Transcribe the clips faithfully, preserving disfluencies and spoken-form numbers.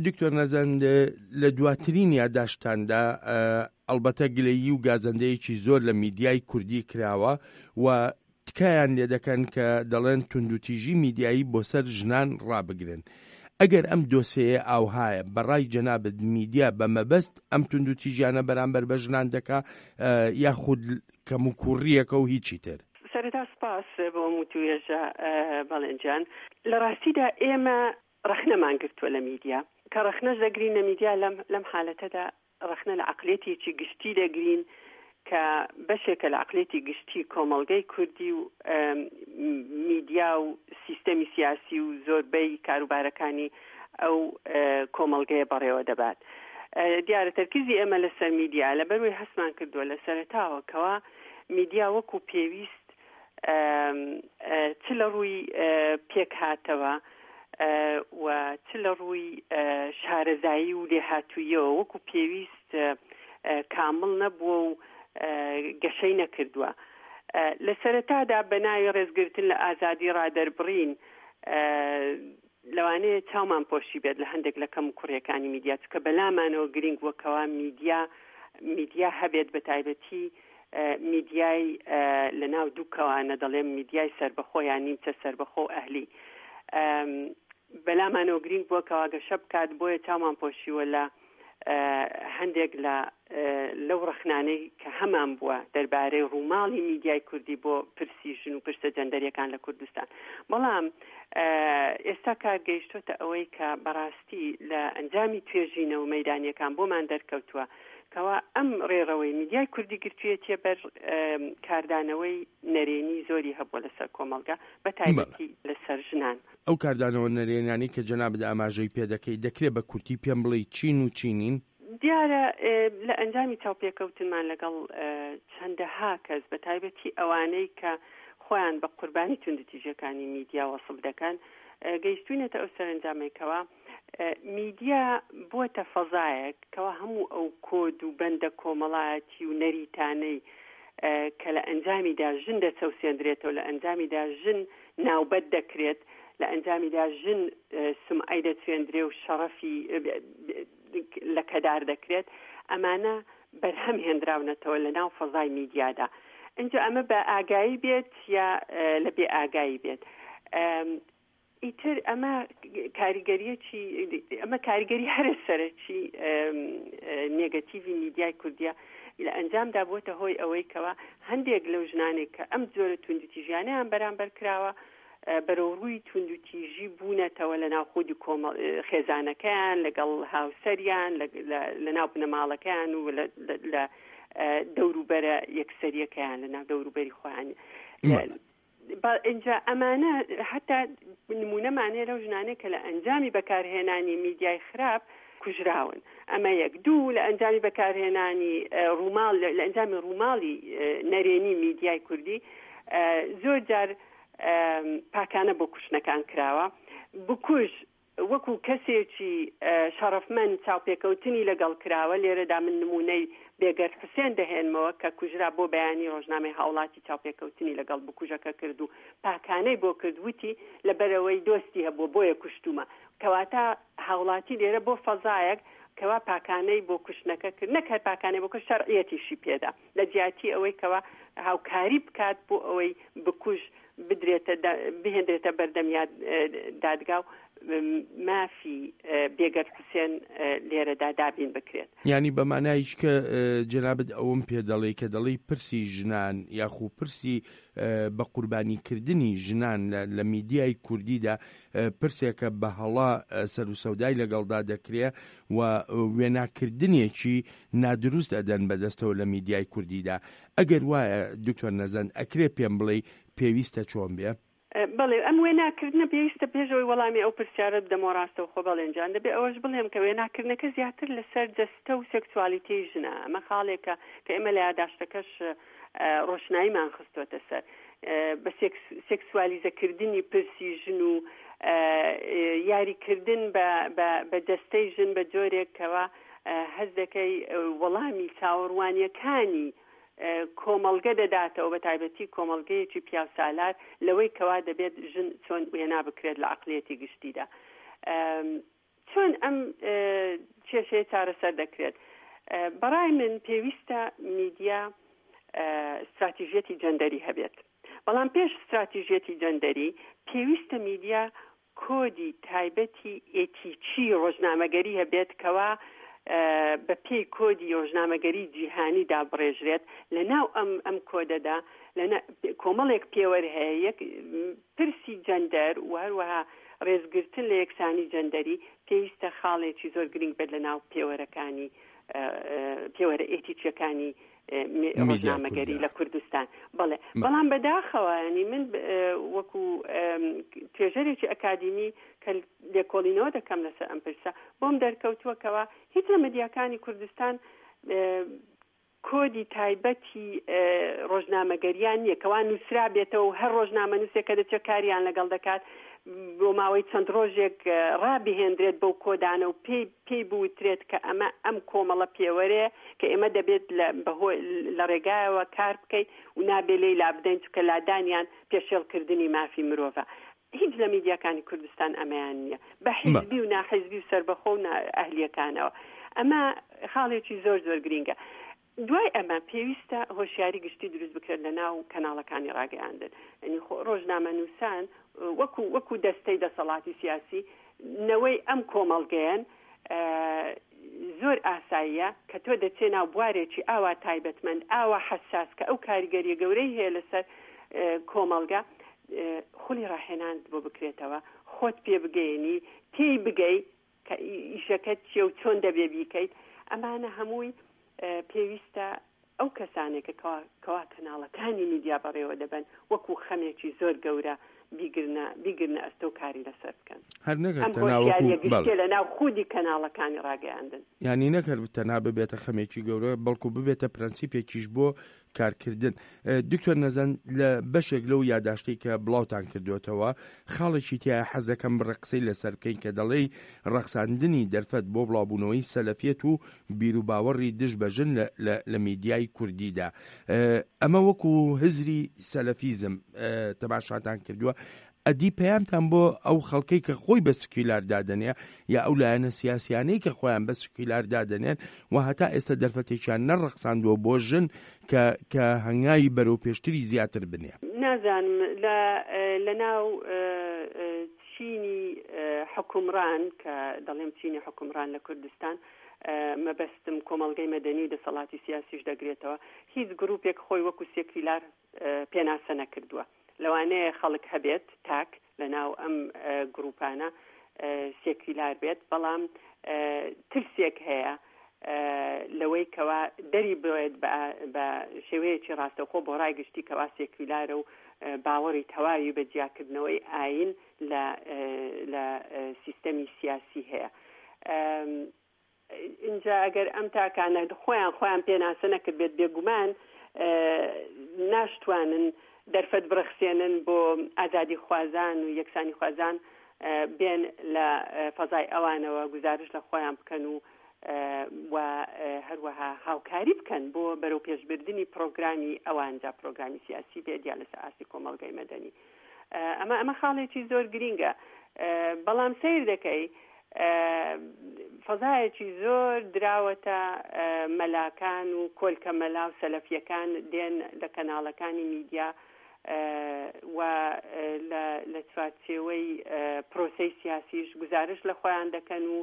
دکتۆر نەزەند، لە دواترین یاداشتتاندا ئەڵبەتە گلەیی و گازەندەیەکی زۆر لە میدیای کوردی کراوە و تکایان لێ دەکەن کە دەڵێن توندوتیژی میدیایی بۆ سەر ژنان ڕابگرن. ئەگەر ئەم دۆسێیە ئاوهایە، بە ڕای جەنابت میدیا بە مەبەست ئەم توندوتیژیانە بەرامبەر بە ژنان دەکا یاخود کەموکوڕییەکە و هیچی تر؟ سەرەتا سپاس بۆ ئەم وتووێژە بەڵێن جان. لە ڕاستیدا ئێمە ڕەخنەمان گرتووە لە میدیا. کە ڕەخنەش دەگرین لە میدیا لەم لەم حالەتەدا ڕەخنە لە عەقلیەتێکی گشتی دەگرین کە بەشێکە لە عەقلیەتی گشتی کۆمەڵگەی کوردی و میدیا و سیستەمی سیاسی و زۆربەی کاروبارەکانی ئەو کۆمەڵگەیە بەڕێوە دەبات. دیارە تەرکیزی ئێمە لەسەر میدیا لەبەروی هەستمان کردووە لە سەرەتاوە کەوا میدیا وەکو پێویست چ لە ڕووی پێکهاتەوە و چ لە ڕووی شارەزایی و لێهاتوویەوە وەکو پێویست کامڵ نەبووە و گەشەی نەکردووە. لە سەرەتادا بە ناوی ڕێزگرتن لە ئازادی ڕادەربڕین لەوانەیە چاومان پۆشی بێت لە هەندێک لە کەم و کوڕیەکانی میدیا، چونکە بەلامانەوە گرنگ بووە کەوا میدیا میدیا هەبێت، بە تایبەتی میدیای لە ناو دوو کەوانە دەڵێم میدیای سەربەخۆ یان نیمچە سەربەخۆ و ئەهلی بەلامانەوە گرنگ بووە کەوا گەشە بکات، بۆیە چاومان پۆشیوە لە هەندێک لە لەو ڕەخنانەی کە هەمان بووە دەربارەی ڕووماڵی میدیای کوردی بۆ پرسی ژن و پرسە جەندەریەکان لە کوردستان. بەڵام ئێستا کار گەیشتۆتە ئەوەی کە بەڕاستی لە ئەنجامی توێژینەوە مەیدانیەکان بۆمان دەرکەوتووە کەوا ئەم ڕێڕەوەی میدیای کوردی گرتوویەتیە بەر کاردانەوەی نەرێنی زۆری هەبووە لەسەر کۆمەڵگە، بە تایبەتی لەسەر ژنان. ئەو کاردانەوە نەرێنیانەی کە جەنابت ئاماژەی پێ دەکەی، دەکرێ بە کورتی پێم بڵێی چین و چی نین؟ دیارە لە ئەنجامی چاوپێکەوتنمان لەگەڵ چەندەها کەس، بە تایبەتی ئەوانەی کە خۆیان بە قوربانی توندوتیژیەکانی میدیا وەسف دەکەن، گەیشتوینەتە ئەو سەرەنجامەی کەوا میدیا بووەتە فەزایەک کەوا هەموو ئەو کۆد و بەندە کۆمەڵایەتی و نەریتانەی کە لە ئەنجامیدا ژن دەچەوسێندرێتەوە، لە ئەنجامیدا ژن ناوبەت دەکرێت، لە ئەنجامیدا ژن سمعەی دەچوێندرێ و شەڕەفی لەکەدار دەکرێت، ئەمانە بەرهەم هێنراونەتەوە لە ناو فەزای میدیادا. ئینجا ئەمە بە ئاگایی بێت یا لە بێ ئاگایی بێت، ئیتر ئەمە کاریگەریەکی ئەمە کاریگەری هەرە سەرەکی نێگەتیڤی میدیای کوردیە لە ئەنجامدا بووەتە هۆی ئەوەی کەوا هەندێک لەو ژنانێک کە ئەم جۆرە توندوتیژیانیان بەرامبەر کراوە بەرەو ڕووی توندوتیژی بوونەتەوە لە ناو خودی کۆمەڵ خێزانەکەیان، لەگەڵ هاوسەریان، لە ناو بنەماڵەکەیان و لە دەوروبەرە یەکسەریەکەیان، لە ناو دەوروبەری خۆیان. اینجا ئەمانە حتا نمونەمان هەیە لەو ژنانەی کە لە ئەنجامی بەکارهێنانی میدیای خراپ کوژراون. ئەمە یەک. دوو، لە ئەنجامی بەکارهێنانی ڕووماڵ، لە ئەنجامی ڕووماڵی نەرێنی میدیای کوردی زۆر جار پاکانە بۆ کوشتنەکان کراوە. بکوژ وەکو کەسێکی شەڕەفمەند چاوپێکەوتنی لەگەڵ کراوە. لێرەدا من نمونەی بێگەرد حوسێن دەهێنمەوە کە کوژرا بۆ بەیانی ڕۆژنامەی هاوڵاتی چاوپێکەوتنی لەگەڵ بکوژەکە کرد و پاکانەی بۆ کرد، وتی لەبەرەوەی دۆستی هەبووە بۆیە کوشتومە. کەواتە هاوڵاتی لێرە بۆ فەزایەک کەوا پاکانەی بۆ کوشتنەکە کرد، نەک هەر پاکانەی بۆ کرد، شەرعیەتیشی پێدا لە جیاتی ئەوەی کەوا هاوکاری بکات بۆ ئەوەی بکوژ بدرێتە بهێندرێتە بەردەم دادگا و مافی بێگەرد حوسێن لێرەدا دابین بکرێت. یعنی بە مانایش کە جەنابت ئەوەم پێ دەڵێ کە دەڵێی پرسی ژنان یاخو پرسی بە قوربانیکردنی ژنان لە میدیای کوردیدا پرسێکە بە هەڵا سەر و سەودای لەگەڵدا دەکرێ و وێناکردنێکی نادروست ئەدەن بەدەستەوە لە میدیای کوردیدا. ئەگەر وایە دکتۆر نەزەند ئەکرێ پێم بڵێ پێویستە چۆن بێ؟ بەڵێ، ئەم وێناکردنە پێویستە پێشەوەی وەڵامی ئەو پرسیارە بدەمەوە ڕاستەوخۆ بەڵێن جان، دەبێ ئەوەش بڵێم کە وێناکردنەکە زیاتر لەسەر جەستە و سێکسوالیتەی ژنە. ئەمە خاڵێکە کە ئێمە لە یاداشتەکەش ڕۆشناییمان خستۆتە سەر، بە سێکسوالیزەکردنی پرسی ژن و یاریکردن بە جەستەی ژن بە جۆرێکەوە هەست دەکەی وەڵامی چاوەڕوانیەکانی کۆمەڵگە دەداتەوە، بە تایبەتی کۆمەڵگەیەکی پیاوسالار لەوەی کەوا دەبێت ژن چۆن وێنا بکرێت لە عەقڵیەتی گشتیدا. چۆن ئەم کێشەیە چارەسەر دەکرێت؟ بەڕای من پێویستە میدیا استراتیژیەتی جەندەری هەبێت، بەڵام پێش استراتیژیەتی جەندەری پێویستە میدیا کۆدی تایبەتی ئێتیکی ڕۆژنامەگەری هەبێت کەوا بە پێی کۆدی ڕۆژنامەگەری جیهانی دابڕێژرێت. لە ناو ئەم ئەم کۆدەدا کۆمەڵێک پێوەر هەیە، یەک پرسی جەندەر و هەروەها ڕێزگرتن لە یەکسانی جەندەری پێویستە خاڵێکی زۆر گرنگ بێت لە ناو پێوەرەکانی پێوەرە ئێتیکیەکانی ڕۆژنامەگەری لە کوردستان. بەڵێ، بەڵام بەداخەوە ینی من وەکو توێژەرێکی ئەکادیمی کە لێکۆڵینەوە دەکەم لەسەر ئەم پرسە، بۆم دەرکەوتووە کەوا هیچ لە میدیاکانی کوردستان کۆدی تایبەتی ڕۆژنامەگەریان نییە کەوا نووسرا بێتەوە و هەر ڕۆژنامە نووسێک کە دەچێت کاریان لەگەڵ دەکات بۆ ماوەی چەند ڕۆژێک ڕابهێنرێت بەو کۆدانە و پێی پێی بوترێت کە ئەمە ئەم کۆمەڵە پێوەرەیە کە ئێمە دەبێت لە ڕێگایەوە کار بکەین و نابێ لێی لابدەین، چونکە لادانیان پێشێڵکردنی مافی مرۆڤە. هیچ لە میدیاکانی کوردستان ئەمەیان نییە، بە حیزبی و ناحیزبی و سەربەخۆ و ئەهلیەکانەوە. ئەمە خاڵێکی زۆر زۆر گرینگە. دوای ئەمە پێویستە هۆشیاری گشتی دروست بکرێت لە ناو کەناڵەکانی ڕاگەیاندن. یعنی ڕۆژنامە نووسان وەکو وەکو دەستەی دەسەڵاتی سیاسی نەوەی ئەم کۆمەڵگەیەن، زۆر ئاساییە کە تۆ دەچێ ناو بوارێکی ئاوا تایبەتمەند، ئاوا حەساس کە ئەو کاریگەریە گەورەی هەیە لەسەر کۆمەڵگە، خولی ڕاهێنان بۆ بکرێتەوە، خۆت پێ بگەیەنی، تێی بگەی کە ئیشەکەت چیە و چۆن دەبێ بیکەیت. ئەمانە هەمووی پێویستە ئەو کەسانێک کە کەوا کەناڵەکانی میدیا بەڕێوە دەبەن وەکو خەمێکی زۆر گەورە بیگرنە بیگرنە ئەستۆ کاری لەسەر بکەن. هەر نەکرد ئەم تەنها هۆشیاریە وەکو بەڵێ. گشتیە لە ناو خودی کەناڵەکانی ڕاگەیاندن. یعنی نەکرد تەنها ببێتە خەمێکی گەورە، بەڵکو ببێتە پرەنسیپێکیش بۆ کارکردن. دکتۆر نەزەند، لە بەشێک لەو یاداشتەی کە بڵاوتان کردوێتەوە خاڵێکی تایە حەز دەکەم بڕە قسەی لەسەر بکەین کە دەڵێی ڕەخساندنی دەرفەت بۆ بڵاوبوونەوەی سەلەفیەت و بیروباوەڕی دژ بە ژن لە میدیای کوردیدا. ئەمە وەکو هزری سەلەفیزم تەماشاتان کردووە. ئەدی پەیامتان بۆ ئەو خەڵکەی کە خۆی بە سکیلار دادەنێ یا ئەو لایەنە سیاسیانەی کە خۆیان بە سکیلار دادەنێن و هەتا ئێستا دەرفەتێکیان نەڕەخساندووە بۆ ژن کە کە هەنگاوی بەرەو پێشتری زیاتر بنێ؟ نازانم لە ناو چینی حکومڕان کە دەڵێم چینی حکومڕان لە کوردستان، مەبەستم کۆمەڵگەی مەدەنی و دەسەڵاتی سیاسیش دەگرێتەوە، هیچ گروپێک خۆی وەکو سێکیلار پێناسە نەکردووە. لەوانەیە خەڵک هەبێت تاک لە ناو ئەم گروپانە سێکیلار بێت، بەڵام ترسێک هەیە لەوەی کەوا دەری بڵێت بە شێوەیەکی ڕاستەوخۆ بۆ ڕای گشتی کەوا سێکیلارە و باوەڕی تەواوی بە جیاکردنەوەی ئاین لە سیستەمی سیاسی هەیە. اینجا ئەگەر ئەم تاکانە خۆیان خۆیان پێناسە نەکرد بێت، بێگومان ناشتوانن دەرفەت بڕەخسێنن بۆ ئازادی خوازان و یەکسانی خوازان بێن لە فەزای ئەوانەوە گزارش لە خۆیان بکەن و و هەروەها هاوکاری بکەن بۆ بەرەو پێشبردنی پرۆگرامی ئەوانجا پرۆگرامی سیاسی بێت یا لەسەر ئاستی کۆمەڵگەی مەدەنی. ئەمە ئەمە خاڵێکی زۆر گرینگە، بەڵام سەیر دەکەی فەزایەکی زۆر دراوەتە مەلاکان و کۆلکە مەلا و سەلەفیەکان دێن لە کەناڵەکانی میدیا و لە چوارچێوەی پرۆسەی سیاسیش گزارش لە خۆیان دەکەن و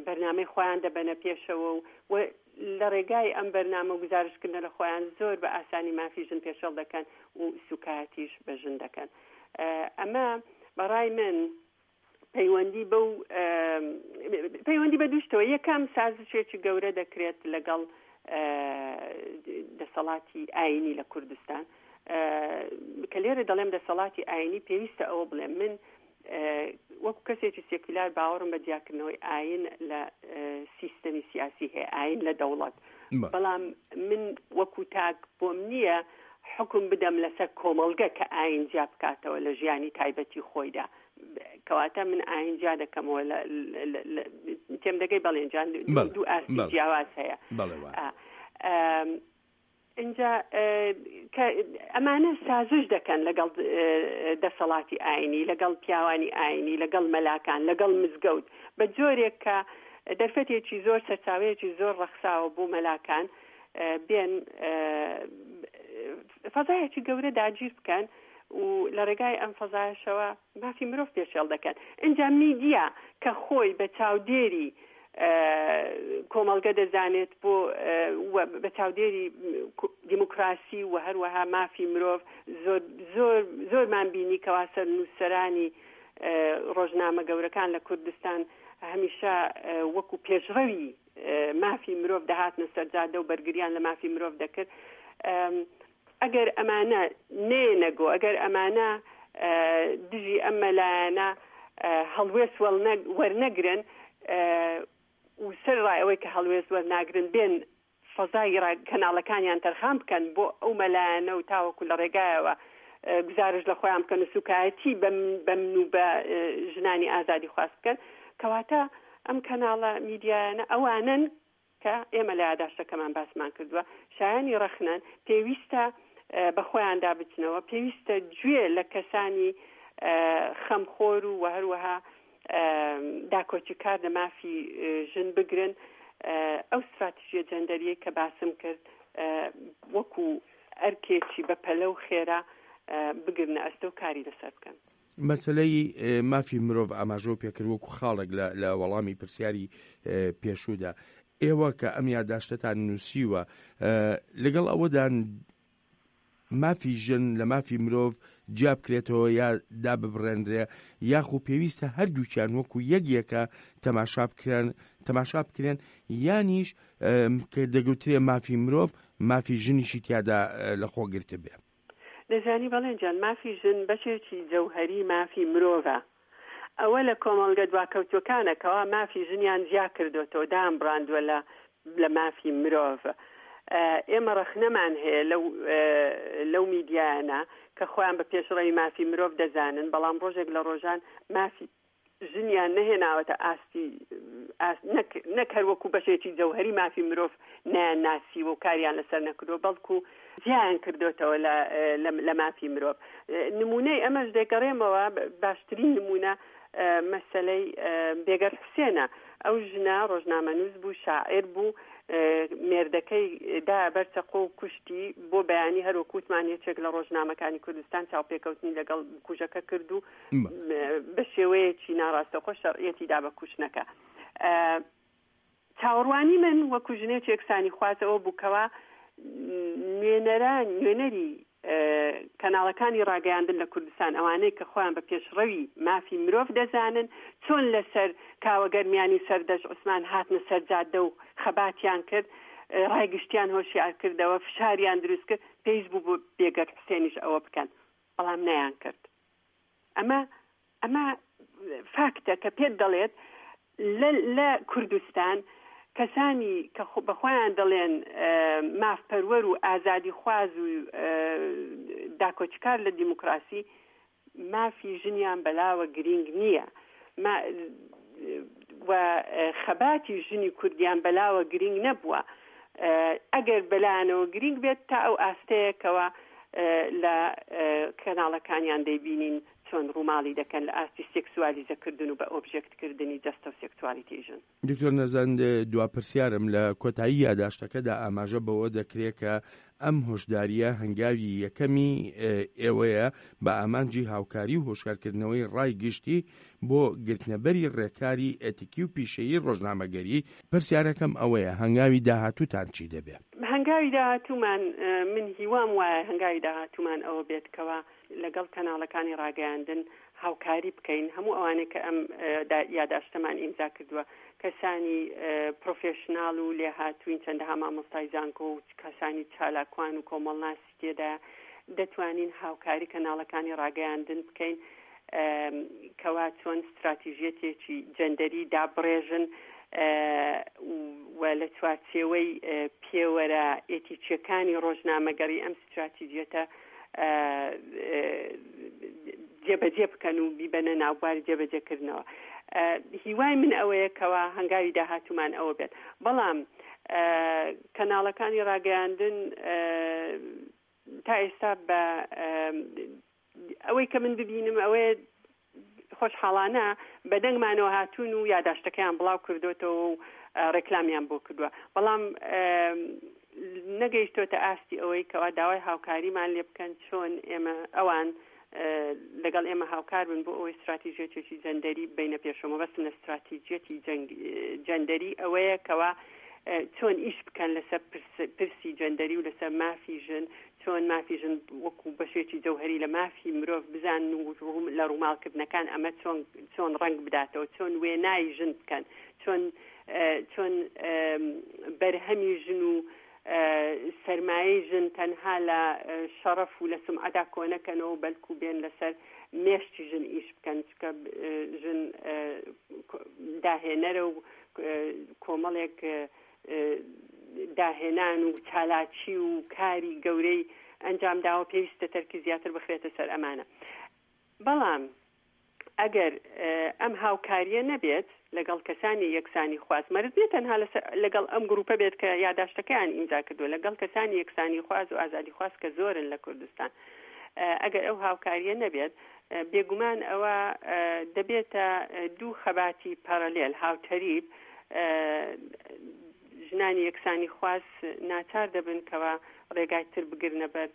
بەرنامەی خۆیان دەبەنە پێشەوە و لە ڕێگای ئەم بەرنامە گزارشکردنە لە خۆیان زۆر بە ئاسانی مافی ژن پێشەڵ دەکەن و سوکایەتیش بە ژن دەکەن. ئەمە بەڕای من پەیوەندی بەو پەیوەندی بە دووشتەوە. یەکەم سازشێکی گەورە دەکرێت لەگەڵ دەسەڵاتی ئاینی لە کوردستان. کە لێرە دەڵێم دەسەڵاتی ئاینی پێویستە ئەوە بڵێم من وەکو کەسێکی سێکولار باوەڕم بە جیاکردنەوەی ئاین لە سیستەمی سیاسی هەیە، ئاین لە دەوڵەت، بەڵام من وەکو تاک بۆم نییە حکم بدەم لەسەر کۆمەڵگە کە ئاین جیا بکاتەوە لە ژیانی تایبەتی خۆیدا. کەواتە من ئاین جیا دەکەمەوە تێم دەگەی؟ بەڵێن جان، دوو ئاستی جیاواز هەیە. ئینجا کە ئەمانە سازش دەکەن لەگەڵ دەسەڵاتی ئاینی، لەگەڵ پیاوانی ئاینی، لەگەڵ مەلاکان، لەگەڵ مزگەوت، بە جۆرێک کە دەرفەتێکی زۆر، سەرچاوەیەکی زۆر ڕەخساوە بۆ مەلاکان بێن فەزایەکی گەورە داگیر بکەن و لە ڕێگای ئەم فەزایەشەوە مافی مرۆڤ پێشێل دەکەن. ئینجا میدیا کە خۆی بە چاودێری کۆمەڵگە دەزانێت بۆ بە چاودێری دیموکراسی و هەروەها مافی مرۆڤ، زۆر زۆر زۆرمان بینی کەوا سەرنووسەرانی ڕۆژنامە گەورەکان لە کوردستان هەمیشە وەکو پێشڕەوی مافی مرۆڤ دەهاتنە سەرجادە و بەرگریان لە مافی مرۆڤ دەکرد. ئەگەر ئەمانە نێنەگۆ، ئەگەر ئەمانە دژی ئەم مەلایەنە هەڵوێست وەرنەگرن و سەر ڕای ئەوەی کە هەڵوێست وەرناگرن بێن فەزای کەناڵەکانیان تەرخان بکەن بۆ ئەو مەلایەنە و تاوەکو لە ڕێگایەوە گزارش لە خۆیان بکەن و سوکایەتی بەمن و بە ژنانی ئازادی خواست بکەن، کەواتە ئەم کەناڵە میدیایانە ئەوانن کە ئێمە لە یاداشتەکەمان باسمان کردووە شایانی ڕەخنەن، پێویستە بە خۆیاندا بچنەوە، پێویستە گوێ لە کەسانی خەمخۆر و هەروەها داکۆکیکار لە مافی ژن بگرن. ئەو ستراتیژیە جەندەریە کە باسم کرد وەکو ئەرکێکی بە پەلە و خێرا بگرنە ئەستۆ کاری لەسەر بکەن. مەسلەی مافی مرۆڤ ئاماژەو پێکرد وەکو خاڵێک لە وەڵامی پرسیاری پێشوودا. ئێوە کە ئەم یاداشتەتان نووسیوە لەگەڵ ئەوەدان مافی ژن لە مافی مرۆڤ جیا بکرێتەوە یا داببڕێنرێ، یاخو پێویستە هەردووکیان وەکو یەک یەکە تەماشا بکرێن تەماشا بکرێن، یانیش کە دەگوترێ مافی مرۆڤ مافی ژنیشی تیادا لەخۆ گرتە بێ؟ دەزانی بەڵێن جان، مافی ژن بەشێکی جەوهەری مافی مرۆڤە. ئەوە لە کۆمەڵگە دواکەوتوەکانە کەوا مافی ژنیان جیا کردوێتەوە، دام بڕاندووە لە لە مافی مرۆڤ. ئێمە ڕەخنەمان هەیە لەو لەو میدیایانە کە خۆیان بە پێشڕەوی مافی مرۆڤ دەزانن، بەڵام ڕۆژێک لە ڕۆژان مافی ژنیان نەهێناوەتە ئاستی نەک هەر وەکو بەشێکی جەوهەری مافی مرۆڤ نایان ناسیوە و کاریان لەسەر نەکردووە، بەڵکو جیایان کردوێتەوە لە مافی مرۆڤ. نمونەی ئەمەش دەگەڕێمەوە، باشترین نمونە مەسەلەی بێگەر حوسێنە. ئەو ژنە ڕۆژنامەنووس بوو، شاعیر بوو، مێردەکەی دا بەرچەقۆ و کوشتی. بۆ بەیانی هەروەکووتمان یەکێک لە ڕۆژنامەکانی کوردستان چاوپێکەوتنی لەگەڵ کوژەکە کرد و بە شێوەیەکی ناڕاستەخۆ شەرعیەتی دا بە کوشتنەکە. چاوەڕوانی من وەکو ژنێکی یەکسانی خوازەوە بووکەوە نوێنەران نوێنەری کەناڵەکانی ڕاگەیاندن لە کوردستان، ئەوانەی کە خۆیان بە پێشڕەوی مافی مرۆڤ دەزانن، چۆن لەسەر کاوەگەرمیانی و سەردەشت عوسمان هاتنە سەرجادە و خەباتیان کرد، ڕای گشتیان هۆشیار کردەوە، فشاریان دروست کرد، پێویست بوو بۆ بێگەرد حوسێنیش ئەوە بکەن، بەڵام نەیان کرد. ئەمە ئەمە فاکتە کە پێت دەڵێت لە کوردستان کەسانی کە بە خۆیان دەڵێن مافپەروەر و ئازادیخواز و داکۆکیکار لە دیموکراسی، مافی ژنیان بەلاوە گرینگ نییە و خەباتی ژنی کوردیان بەلاوە گرینگ نەبووە. ئەگەر بەلایەنەوە گرینگ بێت تا ئەو ئاستەیەکەوە لە کەناڵەکانیان دەیبینین چۆن ڕووماڵی دەکەن لە ئاستی سێکسوالیزەکردن و بە ئۆبژێکتکردنی جەستە و سێکسوالیتی ژن. دکتۆر نەزەند، دوا پرسیارم لە کۆتایی یاداشتەکەدا ئاماژە بەوە دەکرێت کە ئەم هۆشداریە هەنگاوی یەکەمی ئێوەیە بە ئامانجی هاوکاری و هۆشیارکردنەوەی ڕای گشتی بۆ گرتنەبەری ڕێکاری ئەتیکی و پیشەیی ڕۆژنامەگەری. پرسیارەکەم ئەوەیە هەنگاوی داهاتووتان چی دەبێ؟ هەنگاوی داهاتوومان، من هیوام وایە هەنگاوی داهاتوومان ئەوە بێت کەوا لەگەڵ کەناڵەکانی ڕاگەیاندن هاوکاری بکەین. هەموو ئەوانەی کە ئەم یاداشتەمان ئیمزا کردووە کەسانی پرۆفێشناڵ و لێهاتوین، چەندەها مامۆستای زانکۆ و کەسانی چالاکوان و کۆمەڵناسی تێدا، دەتوانین هاوکاری کەناڵەکانی ڕاگەیاندن بکەین کەوا چۆن ستراتیژیەتێکی جەندەری دابڕێژن و لە چوارچێوەی پێوەرە ئێتیچیەکانی ڕۆژنامەگەری ئەم ستراتیژیەتە جێبەجێ بکەن و بیبەنە ناوباری جێبەجێکردنەوە. هیوای من ئەوەیە کەوا هەنگاوی داهاتوومان ئەوە بێت. بەڵام کەناڵەکانی ڕاگەیاندن تا ئێستا بە ئەوەی کە من ببینم ئەوەیە خۆشحاڵانە بە دەنگمانەوە هاتوون و یاداشتەکەیان بڵاو کردوێتەوە و ڕێکلامیان بۆ کردووە، بەڵام نەگەیشتۆتە ئاستی ئەوەی کەوا داوای هاوکاریمان لێ بکەن چۆن ئێمە ئەوان لەگەڵ ئێمە هاوکار بن بۆ ئەوەی استراتیژیەتێکی جەندەری بینە پێشەوە. مەبەستم لە استراتیژیەتی جەندەری ئەوەیە کەوا چۆن ئیش بکەن لەسەر پرسی جەندەری و لەسەر مافی ژن، چۆن مافی ژن وەکو بەشێکی جەوهری لە مافی مرۆڤ بزانن و لە ڕووماڵکردنەکان ئەمە چۆن چۆن ڕەنگ بداتەوە، چۆن وێنای ژن بکەن، چۆن چۆن بەرهەمی ژن و سەرمایەی ژن تەنها لە شەڕەف و لە سمعەدا کۆنەکەنەوە، بەلکو بێن لەسەر مێشتی ژن ئیش بکەن، چکە ژن داهێنەرە و کۆمەڵێک داهێنان و چالاکی و کاری گەورەی ئەنجام داوە، پێویستە تەرکی زیاتر بخرێتە سەر ئەمانە. بەڵام ئەگەر ئەم هاوکاریە نەبێت لەگەڵ کەسانی یەکسانی خواز، مەرز نییە تەنها لەگەڵ ئەم گروپە بێت کە یاداشتەکەیان ئیمزا کردووە، لەگەڵ کەسانی یەکسانی خواز و ئازادی خواز کە زۆرن لە کوردستان، ئەگەر ئەو هاوکاریە نەبێت بێگومان ئەوە دەبێتە دوو خەباتی پارالێل هاوتەریب. ژنانی یەکسانی خواز ناچار دەبن کەوا ڕێگای تر بگرنە بەر،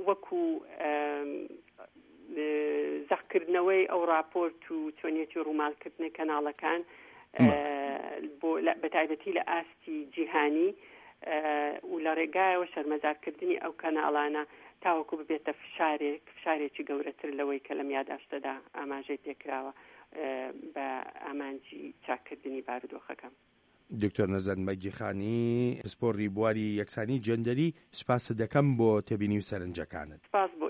وەکو زەقکردنەوەی ئەو راپۆرت و چۆنیەتی ڕووماڵکردنی کەناڵەکان بە تایبەتی لە ئاستی جیهانی و لە ڕێگایەوە شەرمەزارکردنی ئەو کەناڵانە تاوەکو ببێتە فشارێک، فشارێکی گەورەتر لەوەی کە لەم یاداشتەدا ئاماژەی پێکراوە بە ئامانجی چاککردنی بارودۆخەکە. دکتۆر نەزەند مەگیخانی، پسپۆڕی بواری یەکسانی جەندەری، سپاست دەکەم بۆ تێبینی و سەرنجەکانت. سپاس بۆ